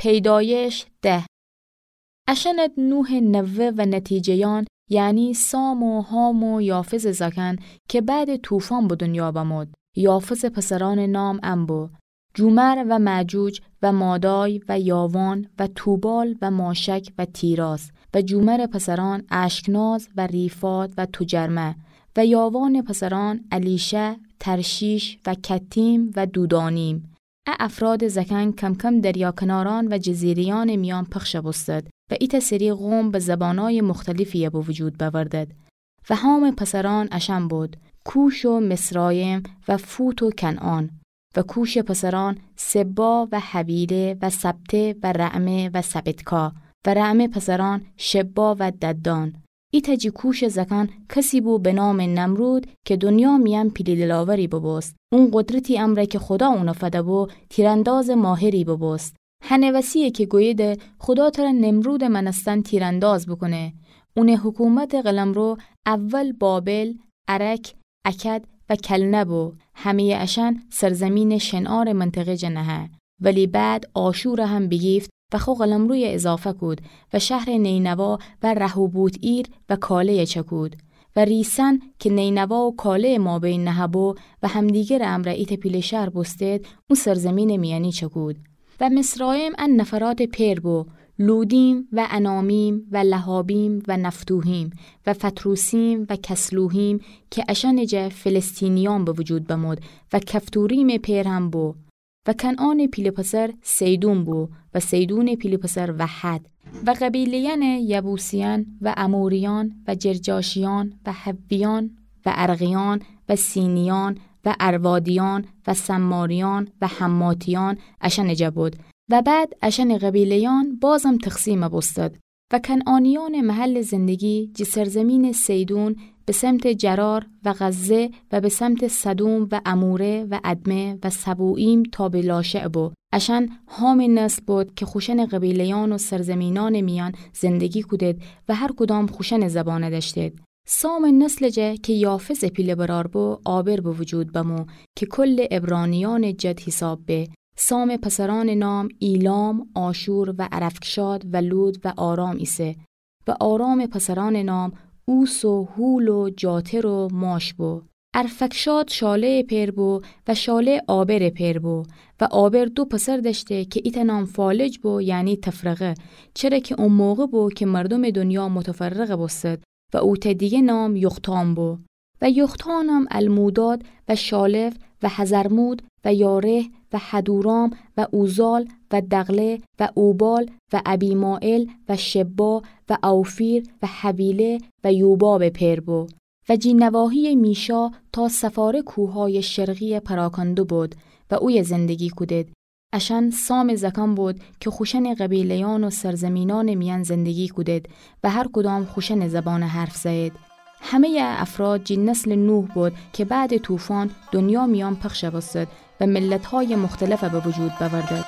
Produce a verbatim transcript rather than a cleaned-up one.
پیدایش ده. اشأنٚ نوحٚ نوه و نتیجه‌یأن، یعنی سام و حام و یافثٚ زأکأن که بعدٚ طوفان به دنیا بمود. یافثٚ پسرأنٚ نام ان بو: جومر و معجوج و مادای و یاوان و توبال و ماشک و تیراث و جومرٚ پسرأن اشکناز و ریفات و توجرمه و یاوانٚ پسرأن الیشع، ترشیش و کتیم و دودانیم. ا افرادٚ زأکأن کم‌کم دریا کنارأن و جزیره‌یأنٚ میأن پخش بوستد و ایتأ سری قوم به زبانأیٚ مختلفی به وجود بأوردد. و حامٚ پسرأن اشأن بود: کوش و مصرایم و فوت و کنعان. و کوشٚ پسرأن سبا و حویله و سبته و رعمه و سبتکا. و رعمٚ پسرأن شبا و ددان. ایتأ جٚه کوشٚ زأکأن کسی بو به نامٚ نمرود که دنیا میأن پیله دلاوری ببوست. اون قدرتی امرأ که خودا اون فده‌بو، تیراندازٚ ماهری ببوست. هنٚ وسی‌یه که گوییدی خودا تره نمرودٚ مأنستن تیرانداز بوکونه. اونٚ حکومتٚ قلمرو اول بابل، ارک، اکد و کلنه بو. همه‌یٚ اشأن سرزیمینٚ شنعارٚ منطقه جٚه نهه. ولی بعد آشور هم بیگیفت و خو قلمرویه اضافه کود و شهرٚ نینوا و رهوبوت‌ایر و کاله‌یه چکود. و ریسن که نینوا و کاله‌یٚ مابین نهه‌بو و همدیگرٚ امرأ ایتأ پیله شهر بوستید، او سرزیمینٚ میأنی چکود. و مصرایم ان نفراتٚ پئر بو: لودیم و انامیم و لهابیم و نفتوحیم و فتروسیم و کسلوحیم، که اشأنٚ جا فلسطینیأن به وجود بمود و کفتوریمٚ پئر هم بو. و کنعانٚ پیله پسر صیدون بو و صیدونٚ پیله پسر وحد. و قبیله‌یأنٚ یبوسیأن و اموریأن و جرجاشیأن و حویأن و ارغیأن و سینیأن و اروادیأن و سماریأن و حماتیأن اشأنٚ جا بود. و بعد اشأنٚ قبیله‌یأن بازم تقسیم بوستد. و کنعانیأنٚ محلٚ زندگی جٚه سرزیمینٚ صیدون به سمتٚ جرار و غزه و به سمتٚ سدوم و عموره و ادمه و سبوییم تا به لاشع بو. اشأن حامٚ نسل بود که خوشأنٚ قبیله‌یأن و سرزیمینأنٚ میأن زندگی کودید و هر کدام خوشأنٚ زبان دأشتید. سامٚ نسلٚ جا که یافثٚ پیله برار بو، عابر به وجود بمو که کلٚ عبرانیأنٚ جد حیساب به. سامٚ پسرأنٚ نام ایلام، آشور و ارفکشاد و لود و آرام ایسه. و آرامٚ پسرأنٚ نام اوس و هول و جاتر و ماش بو. ارفکشاد شاله‌یٚ پئر بو و شاله عابرٚ پئر بو. و عابر دو پسر دأشته که ایتأ نام فالج بو، یعنی تفرقه، چره که او موقع بو که مردومٚ دنیا متفرق بوستد. و اوتأ دیگه نام یقتان بو. و یقتانم الموداد و شالف و حضرمود و یارح و حدورام و اوزال و دغله و اوبال و ابیمائل و شبا و اوفیر و حویله و یوبابٚ پئر بو. و جٚه نواحیٚ میشا تا صفاره کوههایٚ شرقی پراکنده بود و اویه زندگی کودید. اشأن سامٚ زأکأن بود که خوشأنٚ قبیله‌یأن و سرزیمینأنٚ میأن زندگی کودید و هر کدام خوشأنٚ زبان حرف زئید. همه‌یٚ ا افراد جٚه نسلٚ نوح بود که بعدٚ طوفان دنیا میأن پخش بوستد و ملت‌هایٚ مختلف به وجود بأوردد.